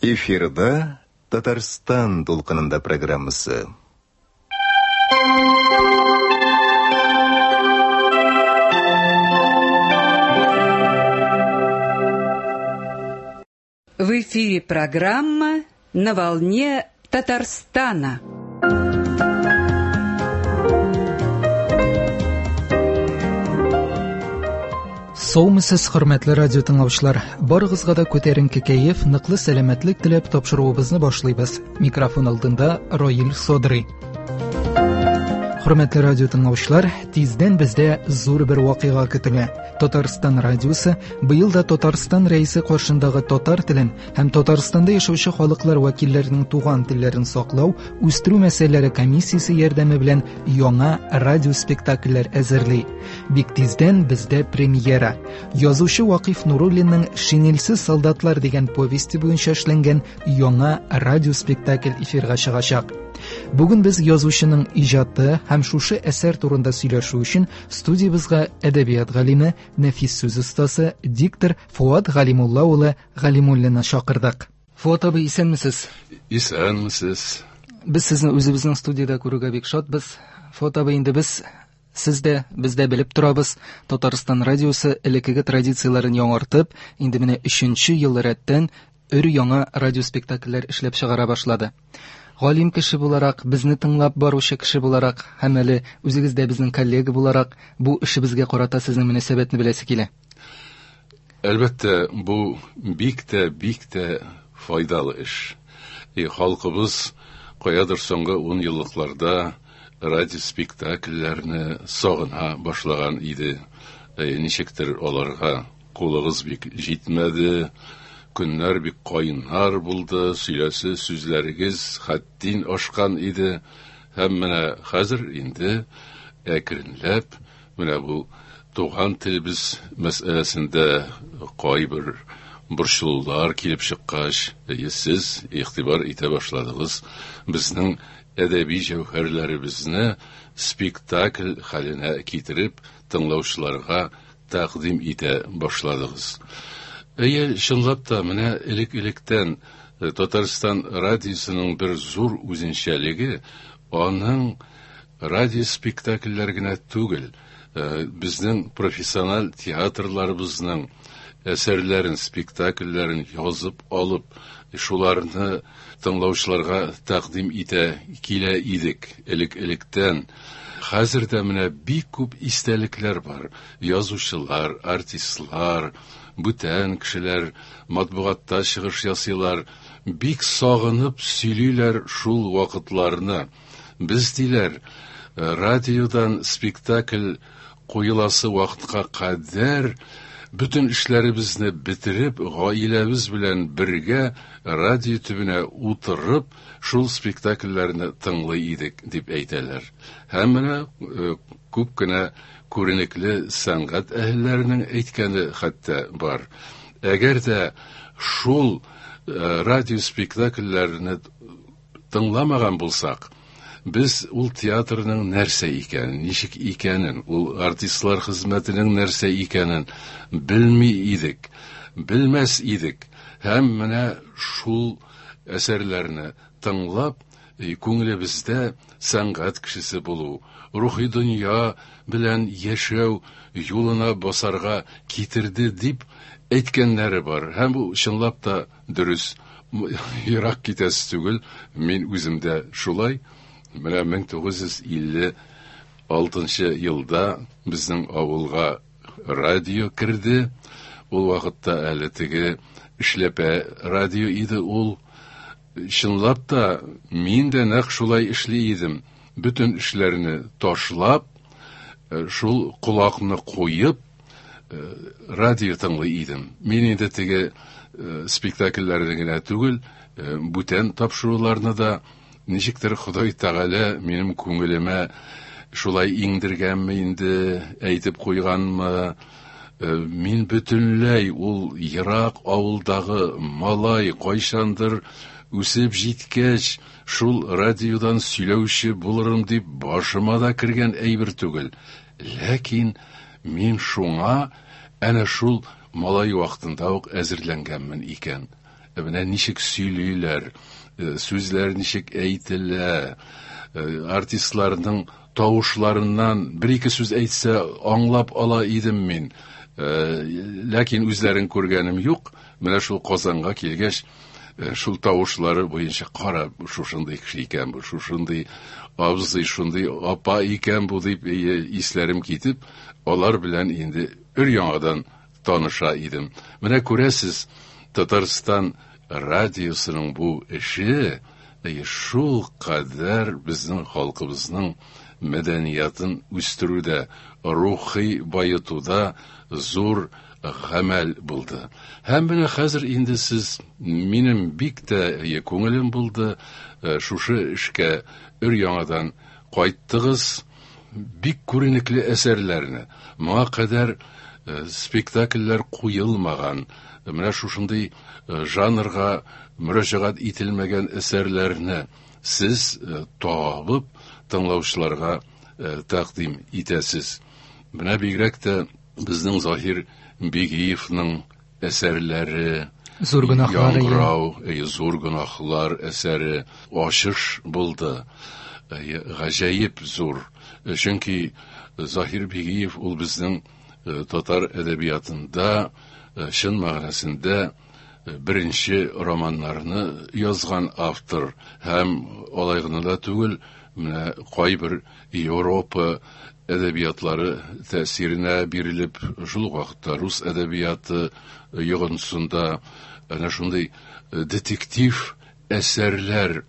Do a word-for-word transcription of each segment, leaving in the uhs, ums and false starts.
Эфирда Татарстан дулкынында программасы. В эфире программа «На волне Татарстана». Саумысыз, хөрмәтле радио тыңлаучылар. Барыгызга да күтәренке кәеф, ныклы сәламәтлек теләп тапшыруыбызны башлыйбыз. Микрофон алдында Раил Садри. Хөрмәтле радио тыңлаучылар, тиздән бездә зур бер вакыйга көтелә. Татарстан радиосы быел да Татарстан рәисе каршындагы татар телен һәм Татарстанда яшәүче халыклар вәкилләренең туган телләрен саклау, үстерү мәсьәләләре комиссиясе ярдәме белән яңа радио спектакльләр әзерли. Бик тиздән бездә премьера. Язучы Вакыйф Нуруллинның «Шинельсез солдатлар» дигән повесте буенча эшләнгән яңа радио спектакль эфирга чыгачак. Бүген без язучының иҗаты һәм шушы әсәр турында сөйләшү өчен студиябезгә әдәбият галиме, нәфис сүз остасы, диктор Фуат Галимулла улы Галимуллинны чакырдык. Фуат абый, исәнмесез? Исәнмесез. Без сезне үзебезнең студиядә күрүгә бик шатбыз. Фуат абый, инде без сез дә, без дә белеп торабыз, Татарстан радиосы элеккеге традицияләрен яңартып, инде менә өченче ел рәттән өр яңа радио спектакльләр эшләп чыгара башлады. Галим кеше буларак, безне тыңлап баручы кеше буларак, һәм әле үзегез дә безнең коллега буларак, бу эшебезгә карата сезнең мөнәсәбәтне беләсе килә. Әлбәттә, бу бик тә, бик тә файдалы эш. И халкыбыз каядыр соңгы ун еллыкларда радио спектакльләрне сагына башлаган иде. И ничектер аларга кулыгыз бик җитмәде. Көннәр бик кайнар булды, сөйләсе сүзләрегез хәттин ашкан иде. Һәм менә хәзер инде әкренләп менә бу туган телебез мәсьәләсендә кайбер борчылулар килеп чыккач, сез игътибар итә башладыгыз. Безнең әдәби җәүһәрләребезне спектакль хәленә китереп тыңлаучыларга тәкъдим итә башладыгыз. Әйе, чынлап та менә элек-электән Татарстан радиосының бер зур үзенчәлеге аның радио спектакльләр генә түгел, безнең профессиональ театрларыбызның әсәрләрен, спектакльләрен язып алып, шуларны тыңлаучыларга тәкъдим итә килә идек элек-электән. Хәзер дә менә бик күп истәлекләр бар. Язучылар, артистлар, бүтән кешеләр матбугатта чыгыш ясыйлар, бик сагынып сөйлиләр шул вакытларны. Без диләр, радиодан спектакль куеласы вакытка кадәр бөтен эшләребезне бетереп, гаиләбез белән бергә радио төбенә утырып, шул спектакльләрне тыңлый идек, дип әйтәләр. Һәм менә күп кенә күренекле сәнгать әһелләренең әйткәне хәтта бар. Әгәр дә шул радио спектакльләрне тыңламаган булсак, без ул театрның нәрсә икәнен, ничек икәнен, ул артистлар хезмәтенең нәрсә икәнен белми идек, белмәс идек. Һәм менә шул әсәрләрне тыңлап, күңелебездә сәнгать кешесе булу, рухи дөнья белән яшәү юлына басарга китерде дип әйткәннәре бар. Һәм бу чынлап та дөрес. Ерак китәсе түгел, мин үзем дә шулай. Менә мең тугыз йөз илле алтынчы елда безнең авылга радио керде. Ул вакытта әле теге эшләпә радио иде ул. Чынлап та мин дә нәкъ шулай эшли идем. Бөтен эшләрне ташлап, шул колакны куеп, радио тыңлый идем. Мин инде теге спектакльләрне генә түгел, бүтән тапшыруларны да ничектер Ходай Тәгалә минем күңелемә шулай иңдергәнме инде, әйтеп куйганмы, мин бөтенләй ул ерак авылдагы малай кайчандыр үсеп җиткәч, шул радиодан сөйләүче булырым дип башыма да кергән әйбер түгел. Ләкин мин шуңа әнә шул малай вакытында ук әзерләнгәнмен икән. Менә ничек сөйлиләр, сүзләр ничек әйтелә, артистларның тавышларыннан бер-ике сүз әйтсә аңлап ала идем мин. Ләкин үзләрен күргәнем юк. Менә шул Казанга килгәч, шул тавышлары буенча кара, шушындый кеше икән бу, шушындый абзый, шундый апа икән бу дип исләрем китеп, алар белән инде өр-яңадан таныша идем. Менә күрәсез, Татарстан радиосының бу эше шул кадәр безнең халкыбызның мәдәниятын үстерүдә, рухи байытуда зур гамәл булды. Һәм менә хәзер инде сез, минем бик тә күңелем булды, шушы эшкә өр-яңадан кайттыгыз. Бик күренекле әсәрләрне, моңа кадәр спектакльләр куелмаган, менә шушындый жанрга мөрәҗәгать ителмәгән әсәрләрне сез табып тыңлаучыларга тәкъдим итәсез. Менә бигрәк тә безнең Заһир Бигиевның әсәрләре, Зур гөнаһлар, Яңгырау, зур гөнаһлар әсәре ачыш булды. Гаҗәеп зур. Чөнки Заһир Бигиев ул безнең татар әдәбиятында чын мәгънәсендә беренче романнарны язган автор, һәм алай гына да түгел, менә кайбер Европа әдәбиятлары тәэсиренә бирелеп, шул ук вакытта рус әдәбияты йогынтысында әнә шундый детектив әсәрләр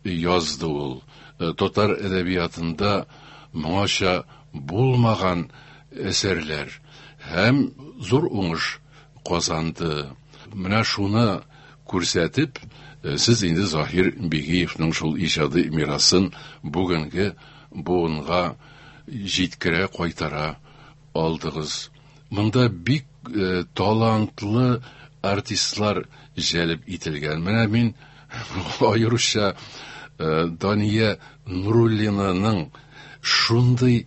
язды ул. Татар әдәбиятында моңача булмаган әсәрләр һәм зур уңыш казанды. Менә шуны күрсәтеп, сез инде Заһир Бигиевның шул иҗади мирасын бүгенге буынга җиткерә, кайтара алдыгыз. Монда бик э, талантлы артистлар җәлеп ителгән. Менә мин аеруча э, Дания Нуруллинаның шундый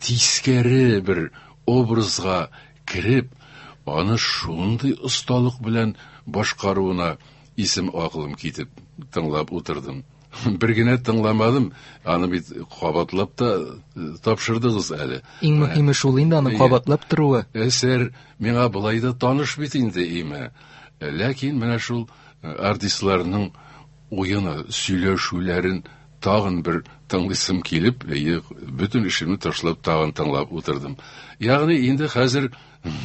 тискәре бер образга кереп, аны шундый осталык белән башкаруына исем акылым китеп тыңлап утырдым. Бер генә тыңламадым, аны бит кабатлап та тапшырдыгыз әле. Иң мөһиме шул инде, аны кабатлап торуы. Әсәр миңа болай да таныш бит инде име. Ләкин менә шул артистларның уены, сөйләшүләрен тагын бер тыңлыйсым килеп, бөтен эшемне ташлап тагын тыңлап утырдым. Ягъни инде хәзер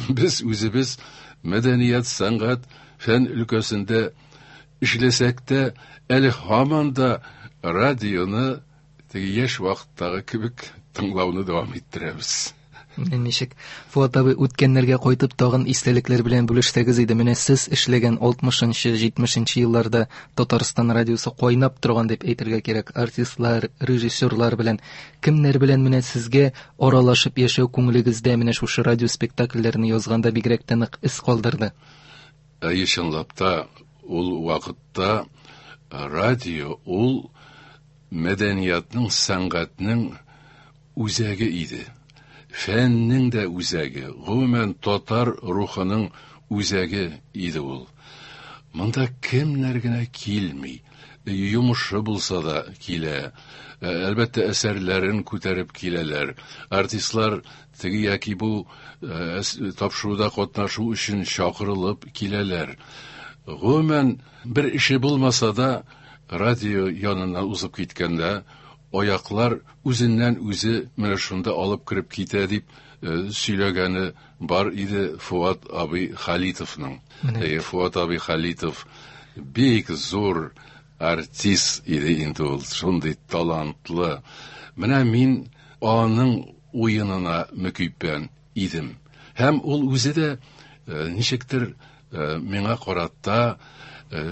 без үзебез мәдәният, сәнгать, фән өлкәсендә эшләсәк тә, әле һаман да радионы теге яшь вакыттагы кебек тыңлауны дәвам иттерәбез. Ничек, Фуат абый, үткәннәргә кайтып тагын истәлекләр белән бүлешсәгез иде. Менә сез эшләгән алтмышынчы, җитмешенче елларда Татарстан радиосы кайнап торган дип әйтергә кирәк. Артистлар, режиссерлар белән, кемнәр белән менә сезгә аралашып яшәү күңелегездә менә шушы радио спектакльләрне язганда бигрәк тә нык эз калдырды? Әйе, чынлап та ул вакытта радио ул мәдәниятның, сәнгатьнең үзәге иде. Фәннең дә үзәге, гомумән татар рухының үзәге иде ул. Монда кемнәр генә килми, йомышы булса да килә. Әлбәттә, әсәрләрен күтәреп киләләр. Артистлар теге яки бу тапшыруда катнашу өчен чакырылып киләләр. Гомумән, бер эше булмаса да, радио яныннан узып киткәндә, аяклар үзеннән үзе менә шунда алып кереп китә дип сөйләгәне бар иде Фуат абый Халитовның. Фуат абый Халитов бик зур артист иде инде ул, шундый талантлы. Менә мин аның уенына мөкиббән идем. Һәм ул үзе дә ничектер миңа карата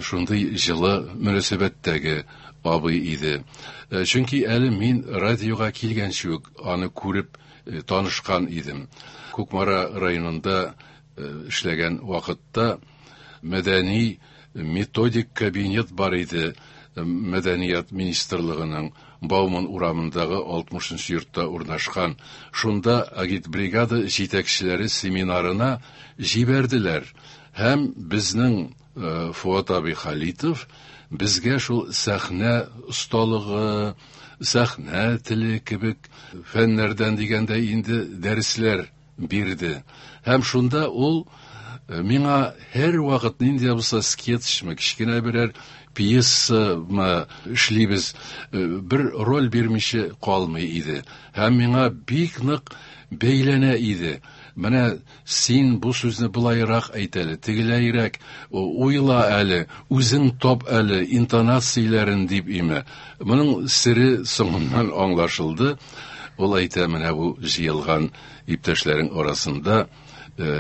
шундый җылы мөнәсәбәттәге абый иде. Чөнки әле мин радиога килгәнче үк аны күреп танышкан идем. Кукмара районында эшләгән вакытта мәдәни методик кабинет бар иде Мәдәният министрлыгының Бауман урамындагы алтмышынчы йортта урнашкан. Шунда агитбригада җитәкчеләре семинарына җибәрделәр. Һәм безнең Фуат абый Халитов безгә шул сәхнә осталыгы, сәхнә теле кебек фәннәрдән дигәндә инде дәресләр бирде. Һәм шунда ул миңа һәр вакыт нинди булса скетчмы, кечкенә берәр пьесамы эшлибез, бер роль бирмичә калмый иде. Һәм миңа бик нык бәйләнә иде. Менә син бу сүзне былайрак әйт әле, тегеләйрәк уйла әле, үзең топ әле интонацияләрен дип име. Моның сере соңыннан аңлашылды. Ул әйтә, менә бу җыелган иптәшләрең арасында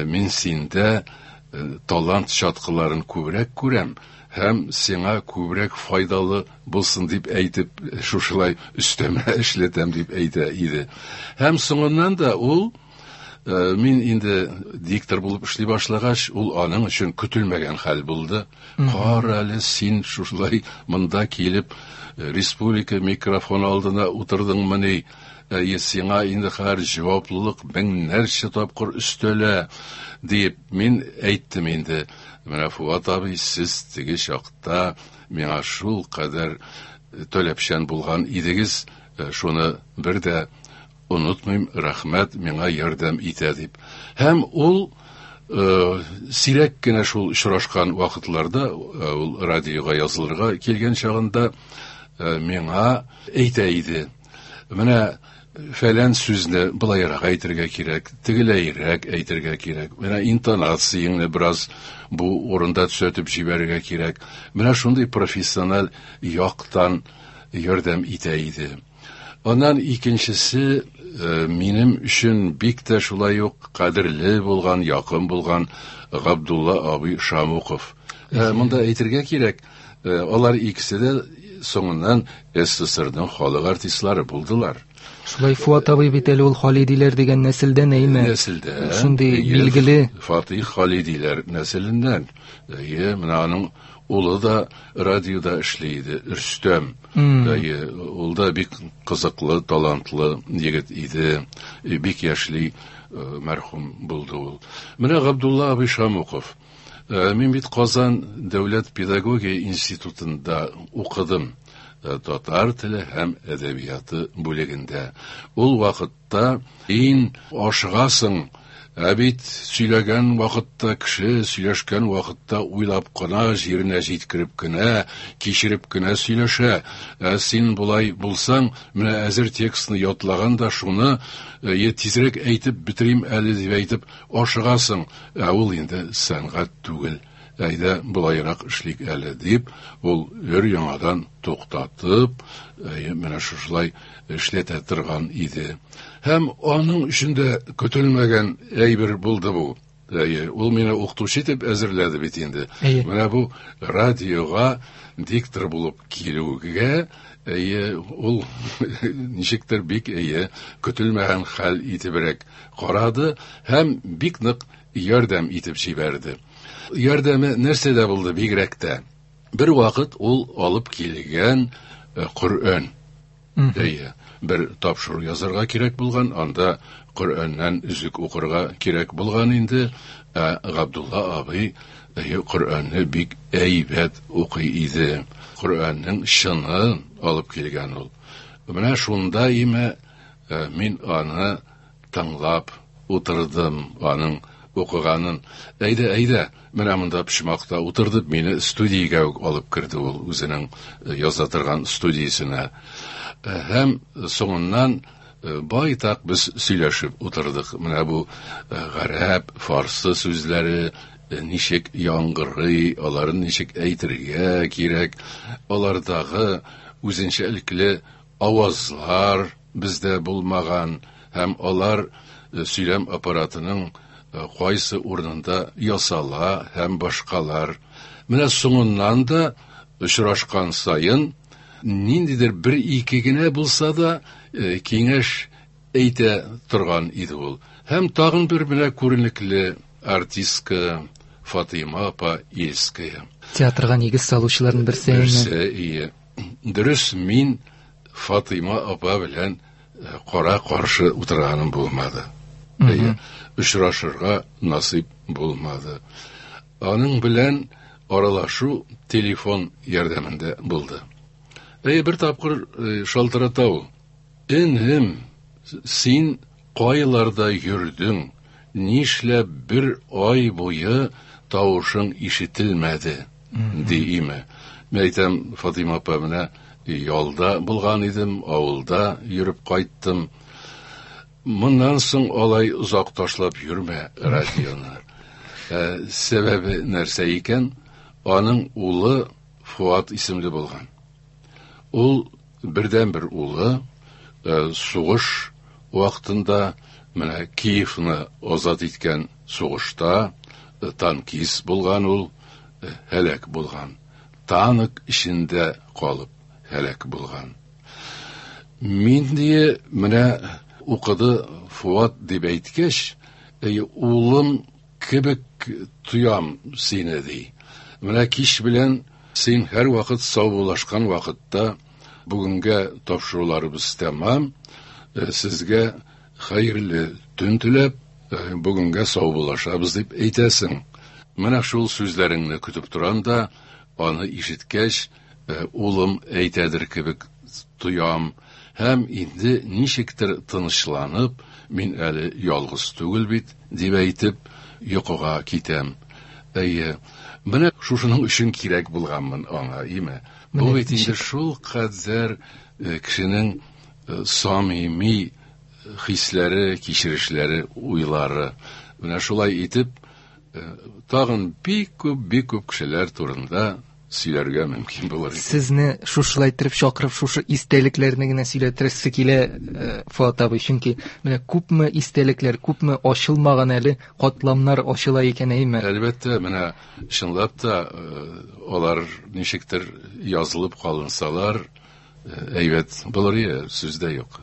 мин синдә талант чаткыларын күбрәк күрәм һәм сиңа күбрәк файдалы булсын дип әйтеп, шушылай өстәмә эшләтәм дип әйтә иде. Һәм соңыннан да ул, мин инде диктор булып эшли башлагач, ул аның өчен көтелмәгән хәл булды. Кара әле, син шушылай монда килеп республика микрофон алдына утырдыңмыни? Әйе, сиңа инде хәзер җаваплылык меңнәрчә тапкыр өстәлә дип мин әйттем инде. Менә Фуат абый, сез теге чакта миңа шул кадәр таләпчән булган идегез, шуны бер дә онытмыйм, рәхмәт, миңа ярдәм итә дип. Һәм ул сирәк кенә шул очрашкан вакытларда, ул радиога язылырга килгән чагында миңа әйтә иде. Менә фәлән сүзне былайрак әйтергә кирәк, тегеләйрәк әйтергә кирәк. Менә интонацияңне бераз бу урында төзәтеп җибәрергә кирәк. Менә шундый профессиональ яктан ярдәм итә иде. Аннан икенчесе, минем өчен бик тә шулай ук кадерле булган, якын булган Габдулла абый Шамуков. Монда әйтергә кирәк, алар икесе дә соңыннан СССРның халык артистлары булдылар. Шулай Фуат абый бит әле ул Халидиләр дигән нәселдән, әйме? Нәселдән. Шундый билгеле. Фатих Халидиләр нәселеннән. Әйе, менә аның улы да радиода эшли иде, Рөстәм. Әйе, ул да бик кызыклы, талантлы егет иде. Бик яшьли мәрхүм булды ул. Менә Габдулла абый Шамуков. Мин бит Казан дәүләт педагогия институтында укыдым. Татар теле һәм әдәбияты бүлегендә. Ул вакытта ин ашыгасың, ә бит сөйләгән вакытта кеше сөйләшкән вакытта уйлап кына, җиренә җиткереп кенә, кичереп кенә сөйләшә. Ә син болай булсаң, менә әзер текстны ятлаган да шуны тизрәк әйтеп бетерим әле дип әйтеп ашыгасың. Ә ул инде сәнгать түгел. Әйдә болайрак эшлик әле дип, ул өр яңадан туктатып, менә шушылай эшләтә торган иде. Һәм аның өчен дә көтелмәгән әйбер булды бу. Әйе, ул мине укытучы итеп әзерләде бит инде. Менә бу радиога диктор булып килүгә, әйе, ул ничектер бик әйе, көтелмәгән хәл итебрәк карады һәм бик нык ярдәм итеп җибәрде. Ярдәме нәрсәдә булды бигрәк тә? Бер вакыт ул алып килгән Коръән. Әйе, бер тапшыру язарга кирәк булган, анда Коръәннән өзек укырга кирәк булган инде. Ә Габдулла абый әйе, Коръәнне бик әйбәт укый иде. Коръәннең чынын алып килгән ул. Менә шунда име мин аны тыңлап утырдым, аның укыганын. Әйдә, әйдә, менә монда почмакта утырдып, мине студиягә үк алып керде ул, үзенең яза торган студиясенә. Һәм соңыннан байтак без сөйләшеп утырдык. Менә бу гарәп, фарсы сүзләре ничек яңгырый, аларын ничек әйтергә кирәк, алардагы үзенчәлекле авазлар бездә булмаган һәм алар сөйләм аппаратының кайсы урынында ясала һәм башкалар. Менә соңыннан да очрашкан саен ниндидер бер ике генә булса да киңәш әйтә торган иде ул. Һәм тагын бер менә күренекле артистка Фатыйма апа Ильская. Театрга нигез салучыларның берсе. Берсе, ие. Дөрес, мин Фатыйма апа белән кара каршы утырганым булмады. Әйе, очрашырга насыйп булмады. Аның белән аралашу телефон ярдәмендә булды. Әйе, бер тапкыр шалтырата ул. Энем, син кайларда йөрдең? Нишләп бер ай буе тавышың ишетелмәде, ди име. Мин әйтәм, Фатыйма апа, менә ялда булган идем, авылда йөреп кайттым. Моннан соң алай озак ташлап йөрмә радионы. Ә, сәбәбе нәрсә икән? Аның улы Фуат исемле булган. Ул бердәнбер улы, ә, сугыш вакытында менә Киевны азат иткән сугышта танкист булган ул, һәлак булган. Танк эчендә калып һәлак булган. Мин дие менә укыды Фуат дип әйткәч, әй, улым кебек тоям сине, ди. Менә кич белән син һәр вакыт саубуллашкан вакытта бүгенгә тапшыруларыбыз тәмам. Сезгә хәерле төн теләп, бүгенгә саубуллашабыз дип әйтәсең. Менә шул сүзләреңне көтеп торам да, аны ишеткәч, улым әйтәдер кебек тоям. Һәм инде ничектер тынычланып, мин әле ялгыз түгел бит, дип әйтеп, йокыга китәм. Әйе, менә шушының өчен кирәк булганмын аңа, име? Бу бит инде шул кадәр кешенең самими хисләре, кичерешләре, уйлары. Менә шулай итеп, тагын бик күп, бик күп кешеләр турында сөйләргә мөмкин булыр иде. Сезне шушылай итеп чакырып, шушы истәлекләрне генә сөйләтерсе килә, Фуат абый, чөнки менә күпме истәлекләр, күпме ачылмаган әле катламнар ачыла икән, әйме? Әлбәттә, менә чынлап та алар ничектер язылып калынсалар, әйбәт булыр иде, сүз дә юк.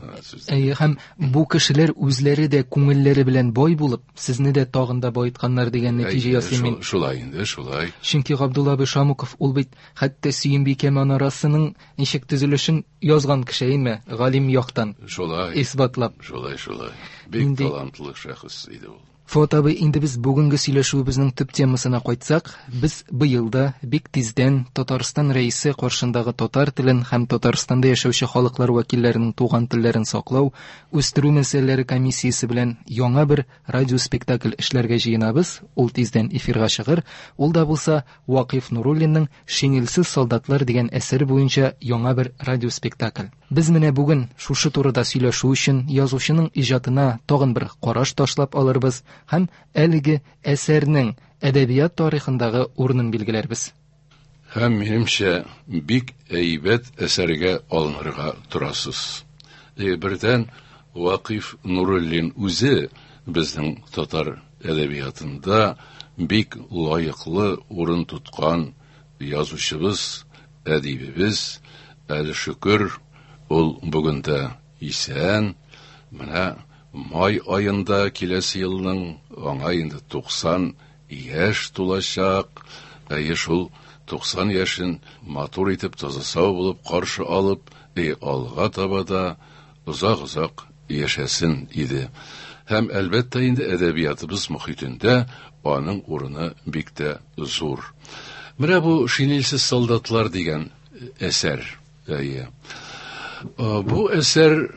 Әйе, һәм бу кешеләр үзләре дә күңелләре белән бай булып, сезне дә тагын да байытканнар дигән нәтиҗә ясыйм мин. Шулай инде, шулай. Чөнки Габдулла абый Шамуков ул бит хәтта Сөембикә манарасының ничек төзелешен язган кеше, әйме, галим яктан. Шулай. Исбатлап. Шулай, шулай. Бик талантлы шәхес иде ул. Фуат абый, инде без бүгенге сөйләшүебезнең төп темасына кайтсак, без быел да бик тиздән Татарстан рәисе каршындагы татар телен һәм Татарстанда яшәүче халыклар вәкилләренең туган телләрен саклау, үстерү мәсьәләләре комиссиясе белән яңа бер радиоспектакль эшләргә җыенабыз. Ул тиздән эфирга чыгыр. Ул да булса Вакыйф Нуруллинның Шинельсез солдатлар дигән әсәр буенча яңа бер радиоспектакль. Без менә бүген шушы турыда сөйләшү өчен язучының иҗатына тагын бер караш ташлап алырбыз һәм әлеге әсәрнең әдәбият тарихындагы урынын билгеләрбез. Һәм минемчә бик әйбәт әсәргә алынырга торасыз. Е, бердән Вакыйф Нуруллин үзе безнең татар әдәбиятында бик лаеклы урын тоткан язучыбыз, әдибебез. Әле шөкер, ул бүген дә исән. Менә май айында киләсе елның аңа инде туксан яшь тулачак. Әйе, шул туксан яшен матур итеп, таза сау булып каршы алып, эй, алга таба да озак-озак яшәсен иде. Һәм әлбәттә инде әдәбиятыбыз мохитендә аның урыны бик тә зур. Менә бу Шинельсез солдатлар дигән әсәр. Әйе. Бу әсәр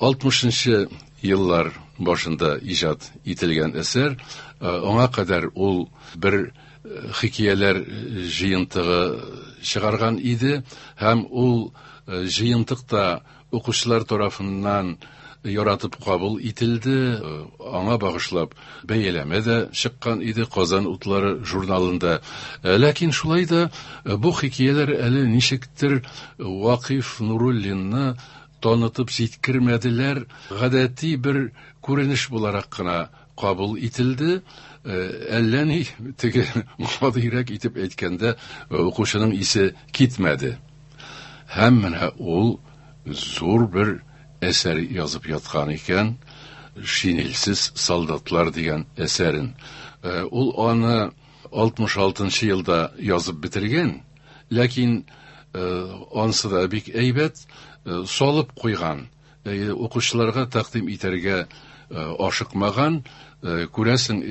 алтмышынчы еллар башында иҗат ителгән әсәр. Аңа кадәр ул бер хикәяләр җыентыгы чыгарган иде һәм ул җыентыкта укучылар тарафыннан яратып кабул ителде. Аңа багышлап бәяләмә дә чыккан иде Казан утлары журналында. Ләкин шулай да бу хикәяләр әле ничектер Вакыйф Нуруллинны танытып җиткермәделәр. Гадәти бер күренеш буларак кына кабул ителде. Әллә ни теге гадирәк итеп әйткәндә укучының исе китмәде. Һәм менә ул зур бер әсәр язып яткан икән, Шинельсез солдатлар дигән әсәрен. Ул аны алтмыш алтынчы елда язып бетергән, ләкин Ансы да бик әйбәт салып куйган, укучыларга тәкъдим итәргә ашыкмаган, күрәсең,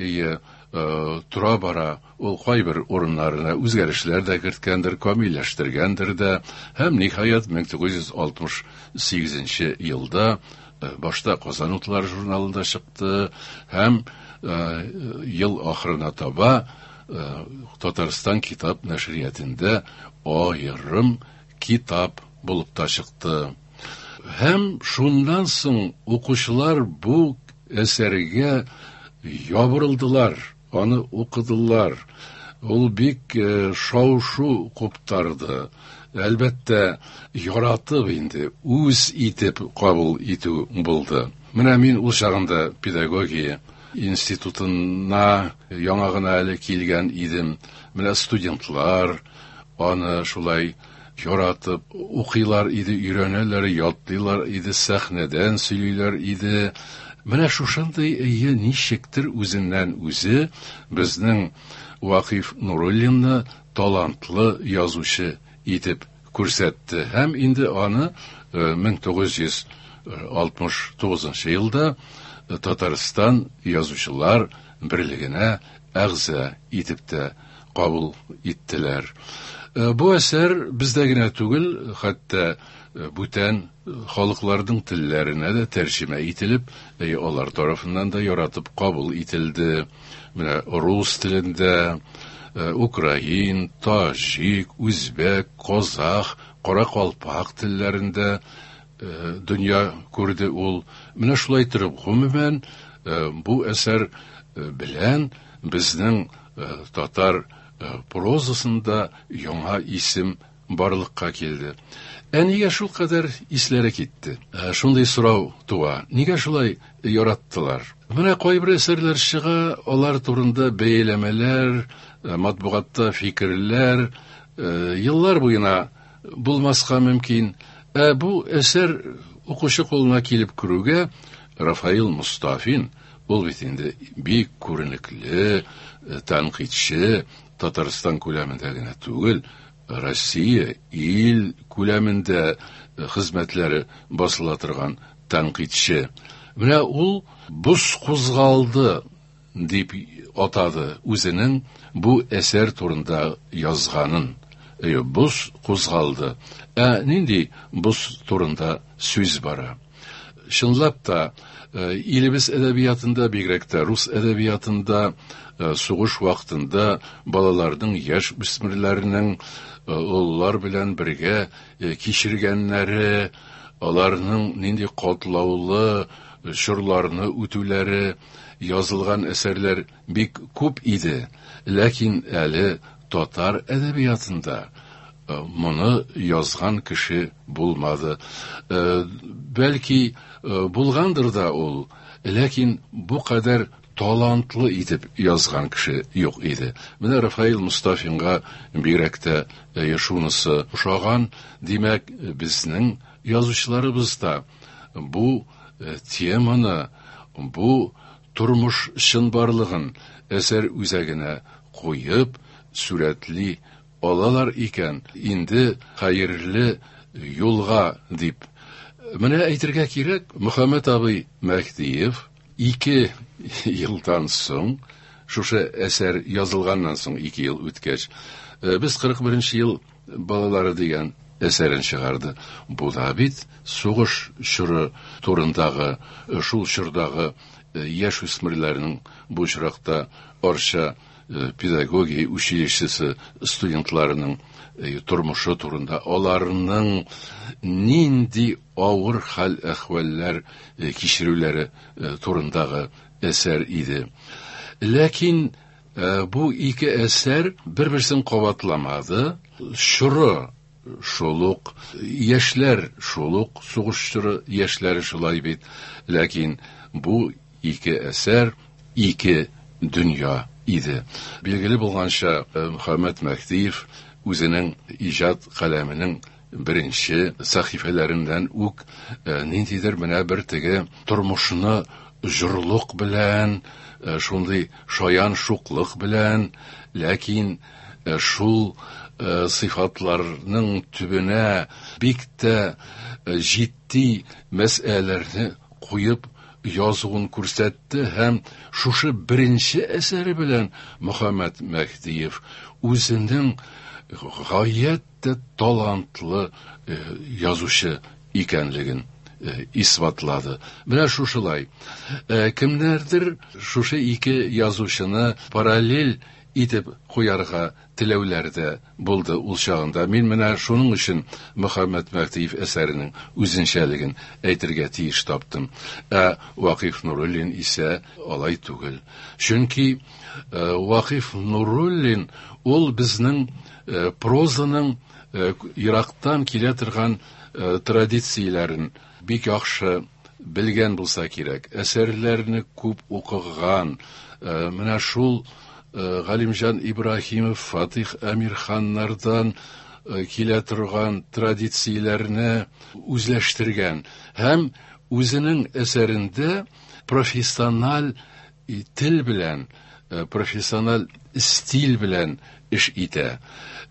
тора бара ул кайбер урыннарына үзгәрешләр дә керткәндер, камилләштергәндер дә, һәм ниһаять мең тугыз йөз алтмыш сигезенче елда башта Казан утлары журналында чыкты һәм ел ахырына таба Татарстан китап нәшриятында аерым китап булып та чыкты. Һәм шуннан соң укучылар бу әсәргә ябырылдылар, аны укыдылар. Ул бик шау-шу куптарды. Әлбәттә, яратып инде, үз итеп кабул итү булды. Менә мин ул чагында педагогия институтына яңа гына әле килгән идем. Менә студентлар аны шулай яратып укыйлар иде, өйрәнәләр, ятлыйлар иде, сәхнәдән сөйлиләр иде. Менә шушындый әйе ничектер үзеннән үзе безнең Вакыйф Нуруллинны талантлы язучы итеп күрсәтте. Һәм инде аны мең тугыз йөз алтмыш тугызынчы елда Татарстан язучылар берлегенә әгъза итеп тә кабул иттеләр. Бу әсәр бездә генә түгел, хәтта бүтән халыкларның телләренә дә тәрҗемә ителеп, алар тарафыннан да яратып кабул ителде. Менә рус телендә, украин, таҗик, үзбәк, казах, каракалпак телләрендә дөнья күрде ул. Менә шулай торып, гомумән, бу әсәр белән безнең татар прозасында яңа исем барлыкка килде. Ә нигә шул кадәр исләре китте? Шундый сорау туа. Нигә шулай яраттылар? Менә кайбер әсәрләр чыга, алар турында бәяләмәләр, матбугатта фикерләр еллар буена булмаска мөмкин. Ә бу әсәр укучы кулына килеп керүгә Рафаил Мостафин, ул бит инде бик күренекле тәнкыйтьче, Татарстан күләмендә генә түгел, Россия ил күләмендә хезмәтләре басыла торган тәнкыйтьче. Менә ул боз кузгалды дип атады үзенең бу әсәр турында язганын. Әйе, боз кузгалды. Ә нинди боз турында сүз бара? Чынлап та, илебез әдәбиятында, бигрәк тә рус әдәбиятында, сугыш вакытында балаларның, яшь үсмерләрнең олылар белән бергә кичергәннәре, аларның нинди катлаулы чорларны үтүләре язылган әсәрләр бик күп иде. Ләкин әле татар әдәбиятында моны язган кеше булмады. Бәлки булгандыр да ул, ләкин бу кадәр талантлы итеп язган кеше юк иде. Менә Рафаил Мостафинга бигрәк тә шунысы ошаган. Димәк, безнең язучыларыбыз да бу теманы, бу тормыш чынбарлыгын әсәр үзәгенә куеп сурәтли алалар икән, инде хәерле юлга дип. Менә әйтергә кирәк, Мөхәммәт абый Мәһдиев ике елдан соң, шушы әсәр язылганнан соң ике ел үткәч, без кырык беренче ел балалары дигән әсәрен чыгарды. Бу да бит сугыш чоры турындагы, шул чордагы яшь үсмерләрнең, бу очракта Арча педагогия училищесы студентларының тормышы турында, аларның нинди авыр хәл-әхвәлләр кичерүләре турындагы әсәр иде. Ләкин бу ике әсәр бер-берсен кабатламады. Чоры шул ук, яшьләр шул ук, сугыш чоры яшьләре шулай бит. Ләкин бу ике әсәр ике дөнья иде. Билгеле булганча, Мөхәммәт Мәһдиев үзенең иҗат каләменең беренче сәхифәләреннән үк ниндидер менә бер теге тормышны җорлык белән, шундый шаян шуклык белән, ләкин шул сыйфатларның төбенә бик тә җитди мәсьәләләрне куеп язуын күрсәтте һәм шушы беренче әсәре белән Мөхәммәт Мәһдиев үзенең гаять тә талантлы язучы икәнлеген исбатлады. Менә шушылай. Кемнәрдер шушы ике язучыны параллель итеп куярга теләүләр дә булды ул чагында. Мин менә шуның өчен Мөхәммәт Мәһдиев әсәренең үзенчәлеген әйтергә тиеш таптым. Ә Вакыйф Нуруллин исә алай түгел. Чөнки Вакыйф Нуруллин ул безнең прозаның ерактан килә торган традицияләрен бик яхшы белгән булса кирәк. Әсәрләрне күп укыган. Менә шул Галимҗан Ибраһимов, Фатих Әмирханнардан килә торган традицияләрне үзләштергән һәм үзенең әсәрендә профессиональ тел белән, профессиональ стиль белән эш итә.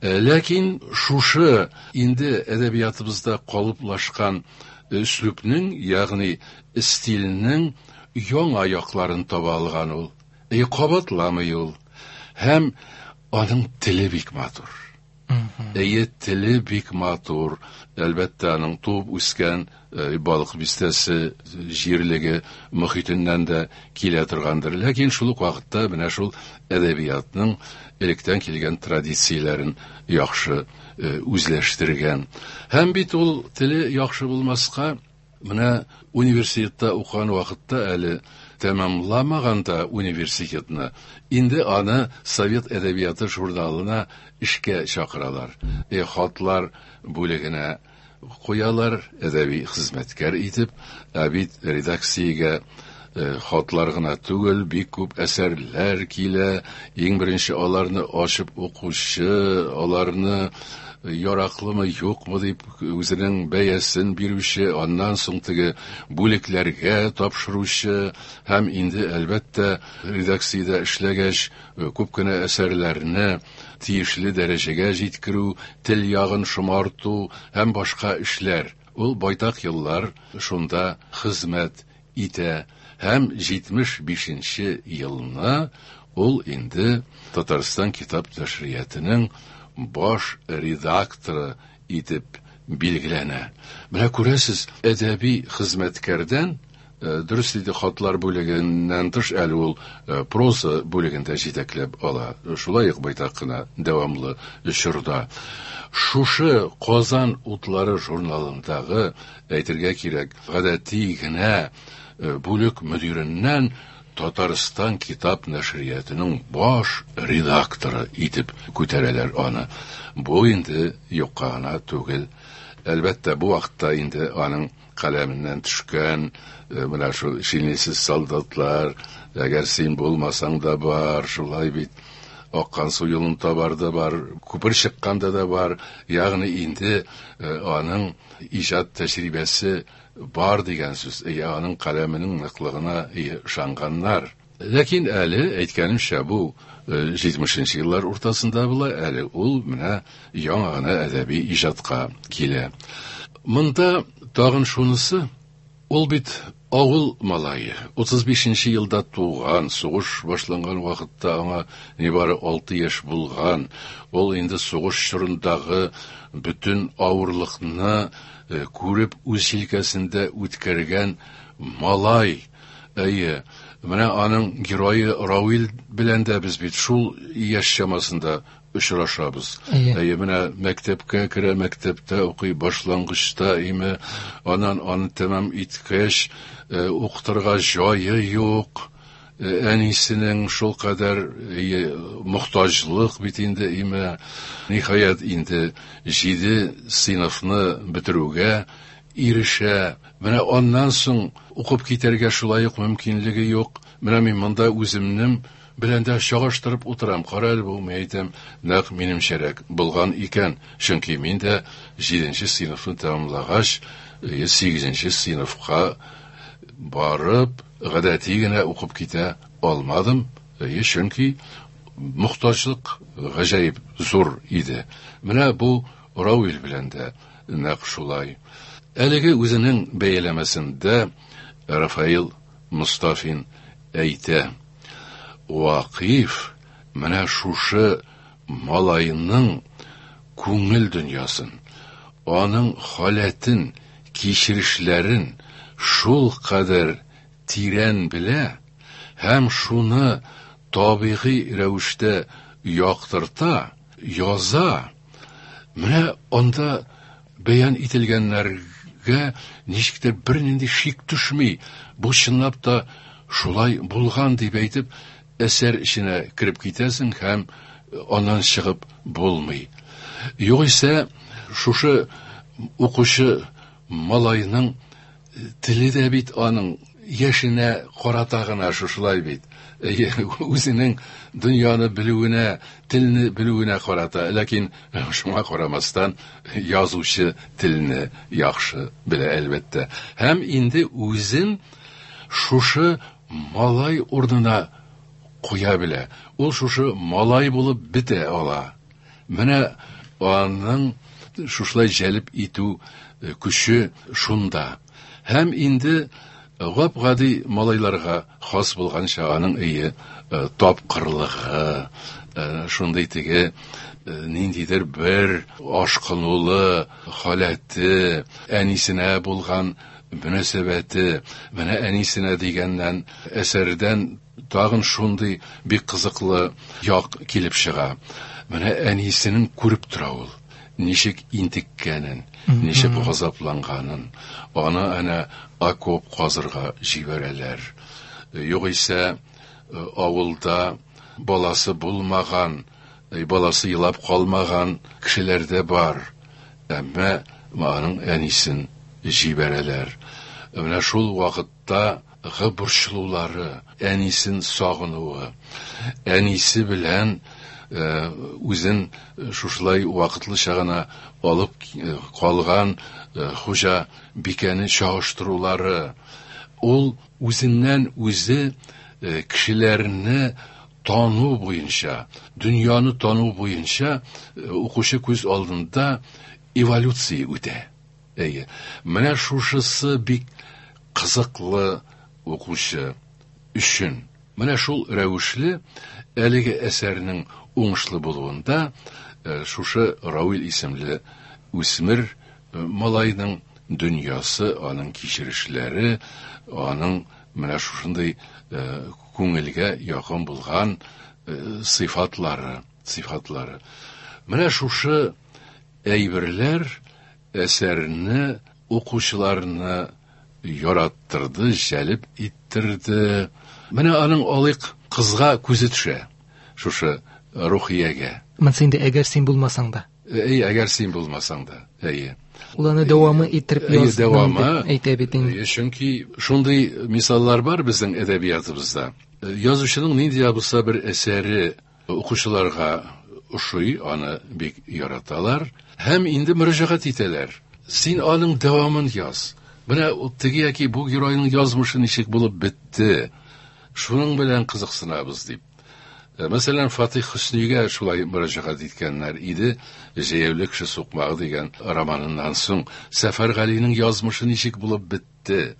Ләкин шушы инде әдәбиятыбызда калыплашкан өслүбнең, ягъни стильнең яңа якларын таба алган ул. И кабатламый ул. Һәм аның теле бик матур. Әйе, теле бик матур. Әлбәттә, аның туып үскән Балык бистәсе җирлеге мөхитеннән дә килә торгандыр. Ләкин шул ук вакытта менә шул әдәбиятның электән килгән традицияләрен яхшы үзләштергән. Һәм бит ул теле яхшы булмаска, менә университетта укыган вакытта әле тәмамламаган да университетны, инде аны Совет әдәбияты журналына эшкә чакыралар. Э, хатлар бүлегенә куялар, әдәби хезмәткәр итеп, ә бит редакциягә хатлар гына түгел, бик күп әсәрләр килә. Иң беренче аларны ачып укучы, аларны яраклымы, юкмы дип үзенең бәясен бирүче, аннан соң теге бүлекләргә тапшыручы һәм инде әлбәттә редакциядә эшләгәч күп кенә әсәрләрне тиешле дәрәҗәгә җиткерү, тел ягын шомарту һәм башка эшләр. Ул байтак еллар шунда хезмәт итә һәм җитмеш бишенче елны ул инде Татарстан китап нәшриятының баш редакторы итеп билгеләнә. Менә күрәсез, әдәби хезмәткәрдән, дөрес диде, хатлар бүлегеннән тыш әле ул проза бүлегендә җитәкләп ала. Шулай ук байтак кына дәвамлы чорда. Шушы Казан утлары журналындагы, әйтергә кирәк, гадәти генә бүлек мөдиреннән Татарстан китап нәшриятының баш редакторы итеп күтәрәләр аны. Бу инде юкка гына түгел. Әлбәттә, бу вакытта инде аның каләменнән төшкән менә шул шинельсез солдатлар, әгәр син булмасаң да бар, шулай бит, аккан су юлын табар да бар, күпер чыкканда да бар. Ягъни инде аның иҗат тәҗрибәсе бар дигән сүз. Аның каләменең ныклыгына ышанганнар. Ләкин әле, әйткәнемчә, бу җитмешенче еллар уртасында була, әле ул менә яңа гына әдәби иҗатка килә. Монда тагын шунысы, ул бит авыл малае, утыз бишенче елда туган, сугыш башланган вакытта аңа нибары алты яшь булган. Ул инде сугыш чорындагы бөтен авырлыкны күреп үз җилкәсендә үткәргән малай. Әйе, менә аның герое Равил белән дә без бит шул яшь чамасында очрашабыз. Әйе, менә мәктәпкә керә, мәктәптә укый, башлангычта име, аннан аны тәмам иткәч, укытырга җае юк. Әнисенең шул кадәр мохтаҗлык бит инде име. Ниһаять, инде җиде сыйныфны бетерүгә ирешә. Менә аннан соң укып китәргә шулай ук мөмкинлеге юк. Менә мин монда үземнең белән дә чагыштырып утырам. Кара әле бу, мин әйтәм, нәкъ минемчәрәк булган икән. Чөнки мин дә җиденче сыйныфны тәмамлагач, сигезенче сыйныфка барып, гадәти генә укып китә алмадым. Чөнки Мохтаҗлык гаҗәеп зур иде. Менә бу Равил белән дә нәкъ шулай. Әлеге үзенең бәяләмәсендә Рафаил Мостафин әйтә: Вакыйф менә шушы малайның күңел дөньясын, аның халәтен, кичерешләрен шул кадәр тирән белә һәм шуны табигый рәвештә яктырта, яза. Менә анда бәян ителгәннәргә ничектер бернинди шик төшми. Бу чынлап та шулай булган дип әйтеп, әсәр эченә кереп китәсең һәм аннан чыгып булмый. Югыйсә, шушы укучы малайның теле дә бит аның яшенә карата гына шушылай бит. Үзенең дөньяны белүенә, телне белүенә карата, ләкин шуңа карамастан язучы телне яхшы белә әлбәттә. Һәм инде үзен шушы малай урынына куя белә. Ул шушы малай булып бетә ала. Менә аның шушылай җәлеп итү көче шунда. Һәм инде гап-гади малайларга хас булганча аның өе тапкырлыгы, шундый теге ниндидер бер ашкынулы халәте, әнисенә булган мөнәсәбәте, менә әнисенә дигәннән әсәрдән тагын шундый бик кызыклы як килеп чыга. Менә әнисенең күреп тора ул, ничек интеккәнен, ничек газапланганын. Аны әнә окоп казырга җибәрәләр. Югыйсә авылда баласы булмаган, баласы елап калмаган кешеләр дә бар. Әмма аның әнисен җибәрәләр. Менә шул вакытта борчылулары, әнисен сагынуы, әнисе белән үзен шушылай вакытлыча гына алып калган хуҗа бикәне чагыштырулары, ул үзеннән үзе кешеләрне тану буенча, дөньяны тану буенча укучы күз алдында эволюция үтә. Әйе, менә шушысы бик кызыклы укучы өчен. Менә шул рәвешле әлеге әсәрнең уңышлы булуында шушы Равил исемле үсмер малайның дөньясы, аның кичерешләре, аның менә шушындый күңелгә якын булган сыйфатлары, сыйфатлары. Менә шушы әйберләр әсәрне укучыларны яраттырды, җәлеп иттерде. Менә аның алык кызга күзе төшә, шушы Рухиягә. Монсы инде әгәр син булмасаң да. Әй, әгәр син булмасаң да. Әйе. Ул аны дәвамы иттереп язды, әйтә бит инде. Чөнки шундый мисаллар бар безнең әдәбиятыбызда. Язучының нинди дә булса бер әсәре укучыларга ошый, аны бик яраталар һәм инде мөрәҗәгать итәләр. Син аның дәвамын яз. Менә теге яки бу геройның язмышы ничек булып бетте, шуның белән кызыксынабыз дип. Мәсәлән, Фатих Хөснигә шулай мөрәҗәгать иткәннәр иде. Җәяүле кеше сукмагы дигән романыннан соң Сәфәр Галинең язмышы ничек булып бетте?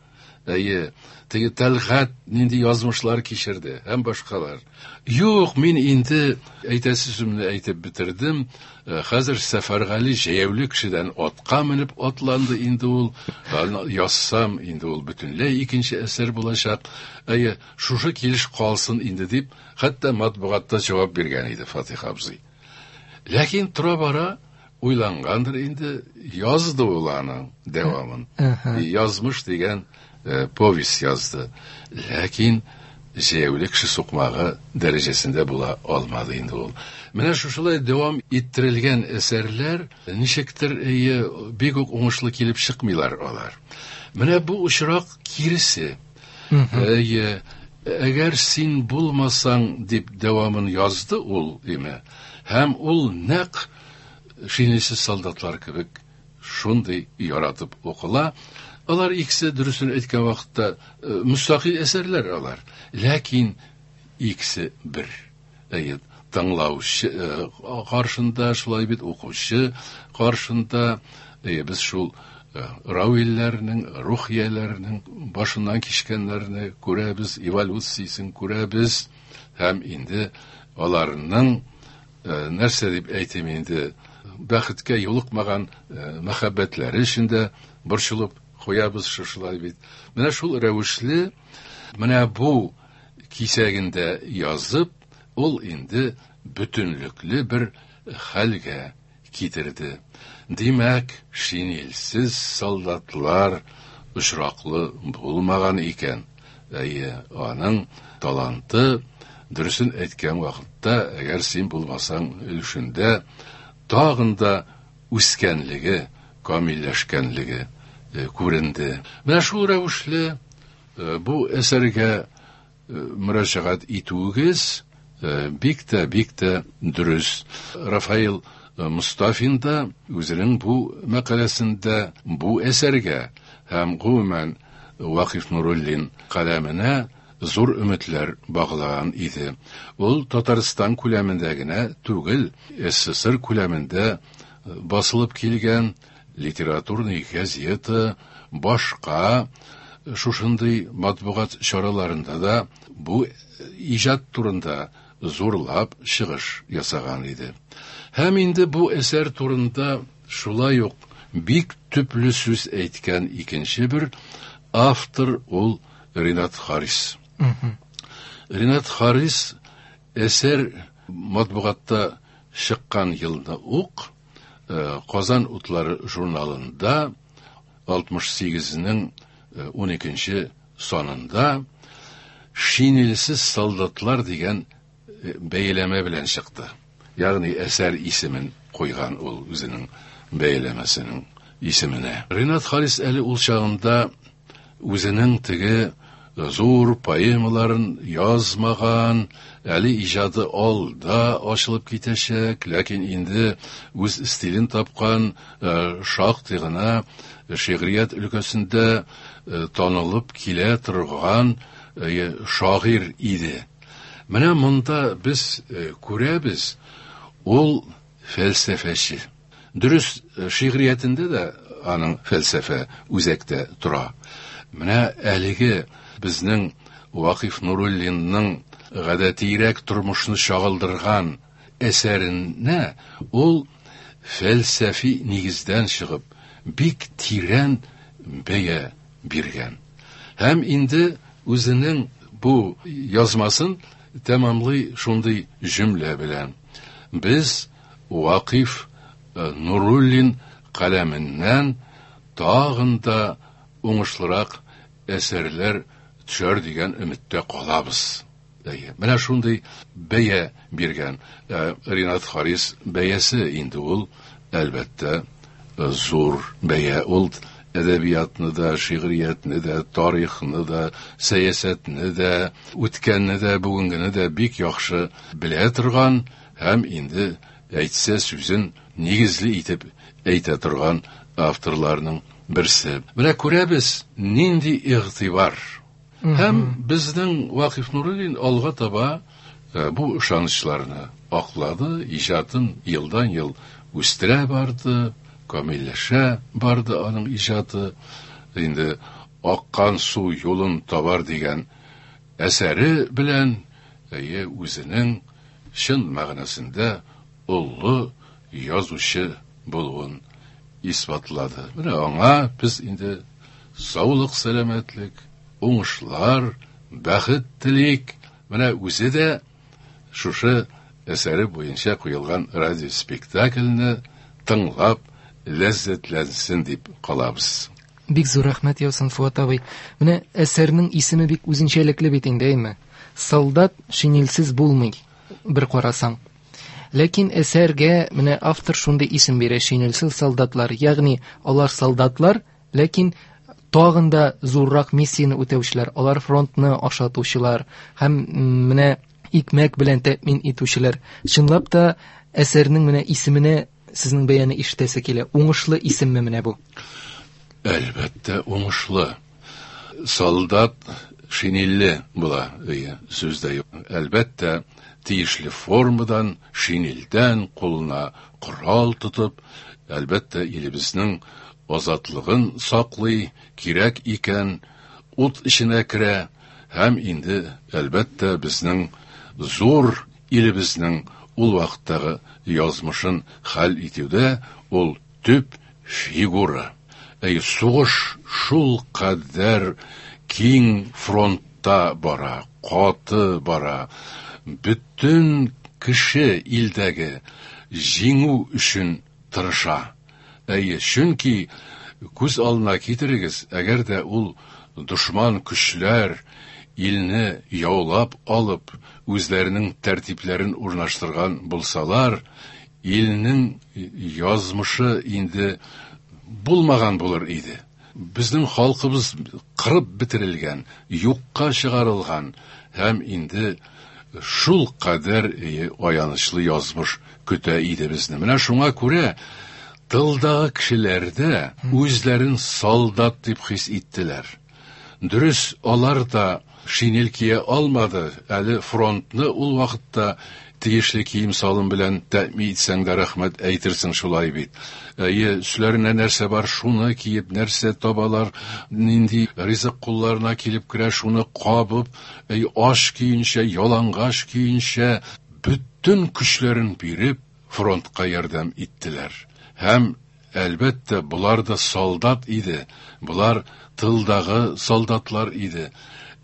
Әйе, теге Тәлгать нинди язмышлар кичерде һәм башкалар. Юк, мин инде әйтәсе сүземне әйтеп бетердем. Хәзер Сәфәр Гали җәяүле кешедән атка менеп атланды инде ул. Язсам, инде ул бөтенләй икенче әсәр булачак. Әйе, шушы килеш калсын инде дип, хәтта матбугатта җавап биргән иде Фатих абзый. Ләкин тора-бара уйлангандыр инде, язды ул аның дәвамын. Язмыш дигән повесть язды. Ләкин җәяүле кеше сукмагы дәрәҗәсендә була алмады инде ул. Менә шушылай дәвам иттерелгән әсәрләр ничектер бик үк уңышлы килеп чыкмыйлар алар. Менә бу очрак киресе. Әйе, әгәр син булмасаң дип дәвамын язды ул, име? Һәм ул нәкъ шинельсез солдатлар кебек шундый яратып укыла. Алар икесе дөресен әйткән вакытта мөстәкыйль әсәрләр алар. Ләкин икесе бер. Әйе, тыңлаучы каршында, шулай бит укучы каршында без шул равилләрнең, рухияләрнең башыннан кичкәннәрне күрәбез, эволюциясен күрәбез һәм инде аларның нәрсә дип әйтим инде бәхеткә юлыкмаган мәхәббәтләре өчен дә борчылып куябыз шушылай бит. Менә шул рәвешле менә бу кисәгендә язып, ул инде бөтенлекле бер хәлгә китерде. Димәк, шинельсез солдатлар очраклы булмаган икән. Әйе, аның таланты дөресен әйткән вакытта, әгәр син булмасаң өлешендә тагын да үскәнлеге, камилләшкәнлеге күренде. Менә шул рәвешле бу әсәргә мөрәҗәгать итүегез бик тә, бик тә дөрес. Рафаил Мустафин да үзенең бу мәкаләсендә бу әсәргә һәм гомумән Вакыйф Нуруллин каләменә зур өметләр баглаган иде. Ул Татарстан күләмендә генә түгел, СССР күләмендә басылып килгән литературный газета, башка шушындый матбугат чараларында да бу иҗат турында зурлап чыгыш ясаган иде. Һәм инде бу әсәр турында шулай ук бик төпле сүз әйткән икенче бер автор ул Ринат Харис. Ринат Харис әсәр матбугатта чыккан елны ук Казан утлары журналында алтмыш сигезнең ун икенче санында Шинельсез солдатлар дигән бәяләмә белән чыкты. Ягъни әсәр исемен куйган ул үзенең бәяләмәсенең исеменә. Ринат Харис әле ул чагында үзенең теге зур поэмаларын язмаган, әле иҗаты алда ачылып китәчәк, ләкин инде үз стилен тапкан, шактый гына шигърият өлкәсендә танылып килә торган шагыйрь иде. Менә монда без күрәбез, ул фәлсәфәче. Дөрес, шигъриятендә дә аның фәлсәфә үзәктә тора. Менә әлеге безнең Вакыйф Нуруллинның гадәтирәк тормышны чагылдырган әсәренә ул фәлсәфи нигездән чыгып бик тирән бәя биргән. Һәм инде үзенең бу язмасын тәмамлый шундый җөмлә белән: Без Вакыйф Нуруллин каләменнән тагын да уңышлырак әсәрләр төшәр дигән өметтә калабыз. Әйе, менә шундый бәя биргән Ринат Харис бәясе инде ул, әлбәттә, зур бәя. Ул әдәбиятны да, шигъриятне дә, тарихны да, сәясәтне дә, үткәнне дә, бүгенгене дә бик яхшы белә торган һәм инде әйтсә сүзен нигезле итеп әйтә торган авторларның берсе. Менә күрәбез, нинди игътибар. Һәм безнең Вакыйф Нуруллин алга таба бу ышанычларны аклады, иҗатын елдан-ел үстерә барды, камилләшә барды аның иҗаты. Инде аккан су юлын табар дигән әсәре белән әйе үзенең чын мәгънәсендә олы язучы булуын исбатлады. Менә аңа без инде саулык, сәламәтлек, уңышлар, бәхет телик. Менә үзе дә шушы әсәре буенча куелган радиоспектакльне тыңлап ләззәтләнсен дип калабыз. Бик зур рәхмәт яусын, Фуат абый. Менә әсәрнең исеме бик үзенчәлекле бит инде, әйме? Солдат шинельсез булмый, бер карасаң. Ләкин әсәргә менә автор шундый исем бирә: шинельсез солдатлар. Ягъни алар солдатлар, ләкин тагын да зуррак миссияне үтәүчеләр, алар фронтны ашатучылар һәм менә икмәк белән тәэмин итүчеләр. Чынлап та әсәрнең менә исеменә сезнең бәяне ишетәсе килә. Уңышлы исемме менә бу? Әлбәттә, уңышлы. Солдат шинельле була, сүз дә юк. Әлбәттә, тиешле формадан, шинельдән кулына корал тотып, әлбәттә, илебезнең азатлыгын саклый, кирәк икән, ут эченә керә һәм инде, әлбәттә, безнең зур илебезнең ул вакыттагы язмышын хәл итүдә ул төп фигура. Әй, сугыш шул кадәр киң фронтта бара, каты бара. Бөтен кеше илдәге җиңү өчен тырыша. Әйе, чөнки күз алдына китерегез, әгәр дә ул дошман көчләр илне яулап алып, үзләренең тәртипләрен урнаштырган булсалар, илнең язмышы инде булмаган булыр иде. Безнең халкыбыз кырып бетерелгән, юкка чыгарылган һәм инде шул кадәр аянычлы язмыш көтә иде безне. Менә шуңа күрә тылдагы кешеләр дә үзләрен солдат дип хис иттеләр. Дөрес, алар да шинель кия алмады, әле фронтны ул вакытта тиешле кием салым белән тәэмин итсәң дә рәхмәт әйтерсең шулай бит. Әйе, өсләренә нәрсә бар, шуны киеп, нәрсә табалар, нинди ризык кулларына килеп керә, шуны кабып, әй, аш көенчә, ялангач көенчә, бөтен көчләрен биреп, фронтка ярдәм иттеләр. Һәм әлбәттә, булар да солдат иде, булар тылдагы солдатлар иде,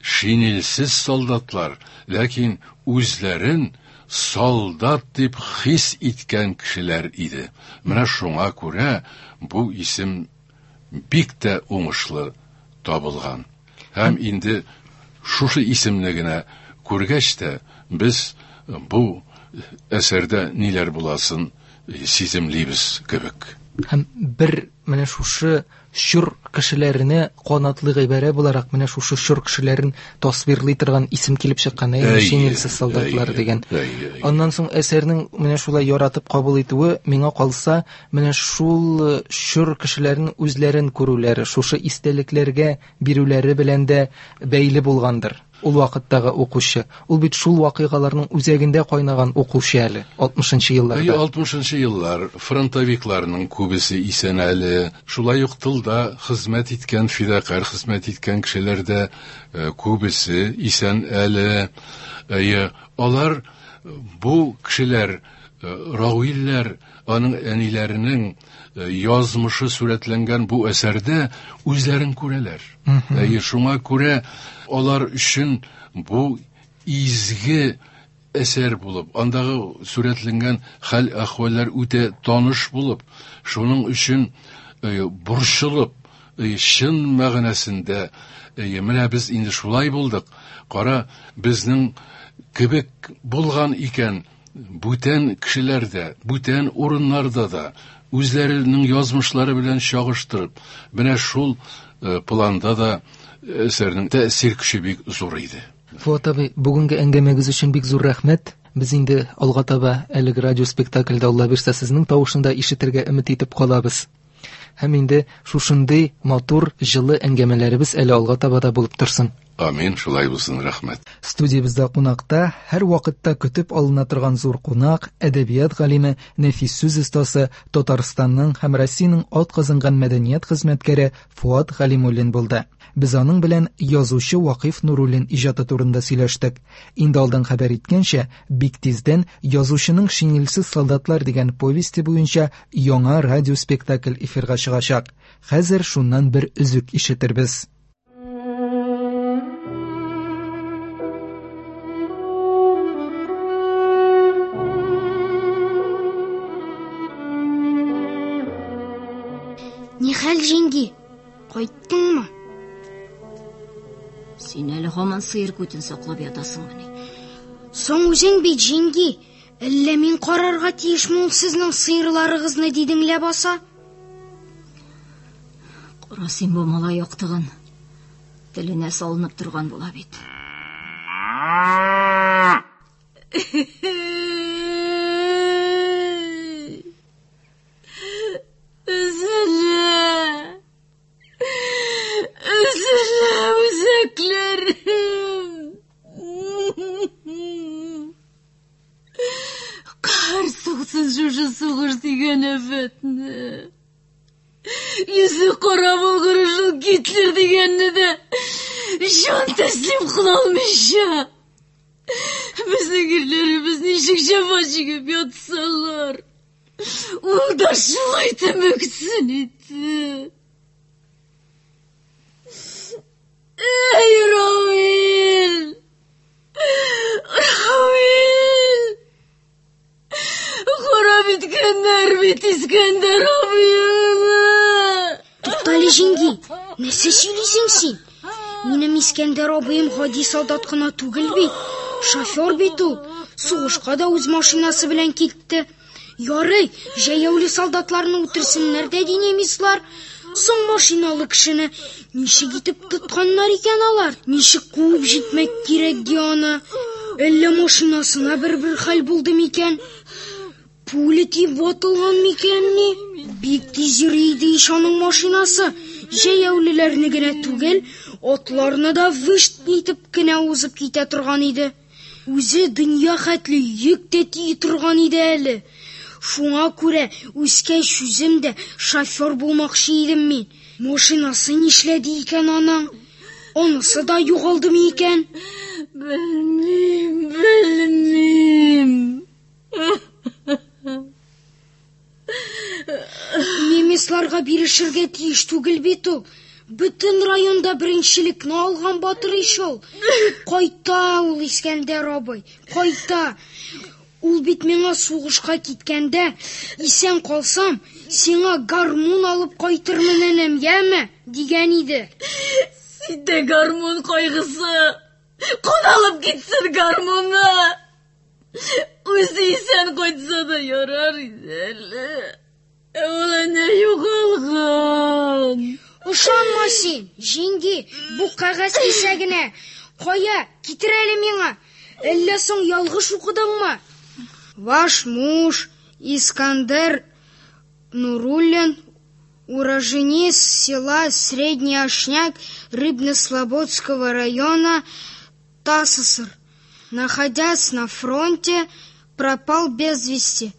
шинельсез солдатлар, ләкин үзләрен солдат дип хис иткән кешеләр иде. Менә шуңа күрә бу исем бик тә уңышлы табылган. Һәм инде шушы исемне генә күргәч тә без бу әсәрдә ниләр буласын сиземлибез кебек. Һәм бер менә шушы чор кешеләренә канатлы гыйбарә буларак менә шушы чор кешеләрен тасвирлый торган исем килеп чыккан, әйе, шинельсез солдатлар дигән. Аннан соң әсәрнең менә шулай яратып кабул итүе, миңа калса, менә шул чор кешеләренең үзләрен күрүләре, шушы истәлекләргә бирүләре белән дә бәйле булгандыр. Ул вакыттагы укучы, ул бит шул вакыйгаларның үзәгендә кайнаган укучы әле, алтмышынчы елларда. Әйе, алтмышынчы еллар, фронтовикларның күбесе исән әле, шулай ук тылда хезмәт иткән, фидакарь хезмәт иткән кешеләр дә күбесе исән әле. Әйе, алар, бу кешеләр, Равилләр, аның әниләренең язмышы сурәтләнгән бу әсәрдә үзләрен күрәләр. Әйе, шуңа күрә алар өчен бу изге әсәр булып, андагы сурәтләнгән хәл-әхвәлләр үтә таныш булып, шуның өчен борчылып, чын мәгънәсендә, менә без инде шулай булдык, кара, безнең кебек булган икән, бүтән кешеләрдә, бүтән урыннарда да үзләренең язмышлары белән чагыштырып, менә шул планда да әсәрнең тәэсир көче бик зур иде. Фуат абый, бүгенге әңгәмәгез өчен бик зур рәхмәт. Без инде алга таба әлеге радиоспектакльдә Алла бирсә сезнең тавышын да ишетергә өмет итеп калабыз. Һәм инде шушындый матур, җылы әңгәмәләребез әле алга таба да булып торсын. Амин, шулай булсын, рәхмәт. Студиябездә кунакта һәр вакытта көтеп алына торган зур кунак, әдәбият галиме, нәфис сүз остасы, Татарстанның һәм Россиянең атказанган мәдәният хезмәткәре Фуат Галимуллин булды. Без аның белән язучы Вакыйф Нуруллин иҗаты турында сөйләштек. Инде алдан хәбәр иткәнчә, бик тиздән язучының Шинельсез солдатлар дигән повесте буенча яңа радиоспектакль эфирга чыгачак. Хәзер шуннан бер өзек ишетербез. Нихәл, җиңги, кайттыңмы? Син әле һаман сыер күтен саклап ятасыңмыни? Соң үзең бит, җиңги, әллә мин карарга тиешме ул сезнең сыерларыгызны дидең ләбаса? Кара син бу малай яктыгын, теленә салынып торган була бит. Өзелә, өзелә үзәкләрем. Сугыш дигән афәтне. Йөзе кара булгыр шул Гитлер дигәнне дә җан тәслим кыла алмыйча. Безнең ирләребез ничек җәфа чигеп ятсалар, ул да шулай тәмәксен итте. Эй, Равил! Равил! Харап иткәннәр бит Искәндәр абыеңны! Туктале, җиңги, нәрсә сөйлисең син? Минем Искәндәр абыем гади солдат кына түгел бит, шофер бит ул. Сугышка да үз машинасы белән китте. Ярый, җәяүле солдатларны үтерсеннәр дә ди немецлар. Соң машиналы кешене ничек итеп тотканнар икән алар? Ничек куып җитмәк кирәк ди аны? Әллә машинасына бер-бер хәл булды микән? Пуля тиеп ватылган микән ни? Бик тиз йөри иде ич аның машинасы. Җәяүлеләрне генә түгел, атларны да вышт итеп кенә узып китә торган иде. Үзе дөнья хәтле йөк тә тии торган иде әле. Шуңа күрә үскәч үзем дә шофер булмакчы идем мин. Машинасы нишләде икән аның? Анысы да югалдымы икән? Белмим, белмим. Немецларга бирешергә тиеш түгел бит ул. Бөтен районда беренчелекне алган батыр ич ул. Кайта ул Искәндәр абый, кайта. Ул бит миңа сугышка киткәндә, исән калсам, сиңа гармун алып кайтырмын, энем, яме, дигән иде. Синдә гармун кайгысы. Кун алып китсен гармуны. Үзе исән кайтса да ярар иде әле. Ә ул әнә югалган. Ышанма син, җиңги, бу кәгазь кисәгенә. Кая, китер әле миңа. Әллә соң ялгыш укыдыңмы? Ваш муж Искандер Нуруллин, уроженец села Средний Ашняк Рыбно-Слободского района ТАССР, находясь на фронте, пропал без вести.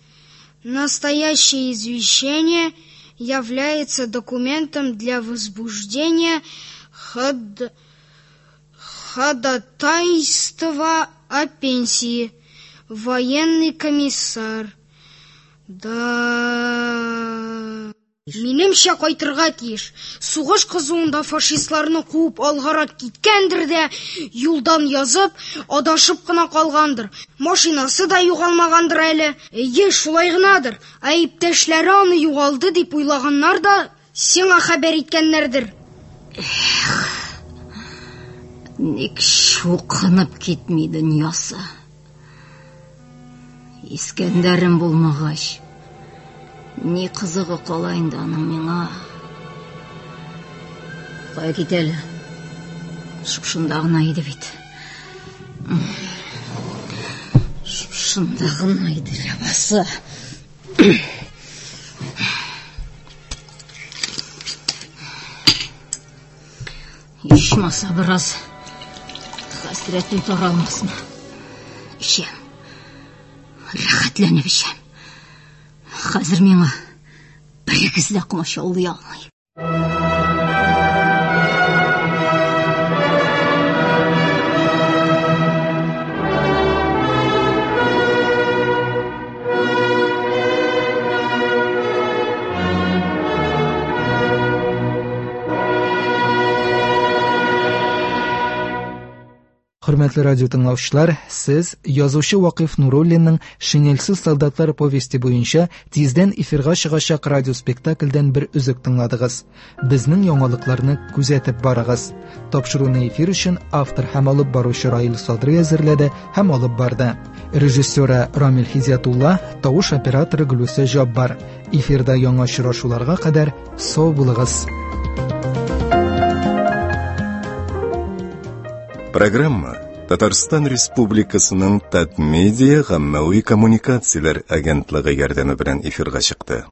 Настоящее извещение является документом для возбуждения ход... ходатайства о пенсии. Военный комиссар. Да. Минемчә кайтырга тиеш. Сугыш кызуында фашистларны куып алгарак киткәндер дә, юлдан язып, адашып кына калгандыр. Машинасы да югалмагандыр әле. Әйе, шулай гынадыр. Ә иптәшләре аны югалды дип уйлаганнар да, сиңа хәбәр иткәннәрдер. Эх, ник чукынып китми дөньясы? Искәндәрем булмагач, ни кызыгы кала инде аның миңа? Кая китә әле? Шушында гына иде бит. Шушында гына иде ләбаса. Ичмаса бераз хәсрәтем таралмасмы? Эчәм. Рәхәтләнеп эчәм. Хәзер миңа берегез дә комачаулый алмый. Хөрмәтле радио тыңлаучылар, сез язучы Вакыйф Нуруллинның «Шинельсез солдатлар» повести буенча тиздән эфирга чыгачак радиоспектакльдән бер өзек тыңладыгыз. Безнең яңалыкларны күзәтеп барыгыз. Тапшыруны эфир өчен автор һәм алып баручы Раил Садрый әзерләде һәм алып барды. Режиссеры Рамил Хизятулла, тавыш операторы Гөлүсә Җаббар. Эфирда яңа очрашуларга кадәр сау булыгыз. Программа Татарстан Республикасының Татмедиа гаммәви коммуникацияләр агентлыгы ярдәме белән эфирга чыкты.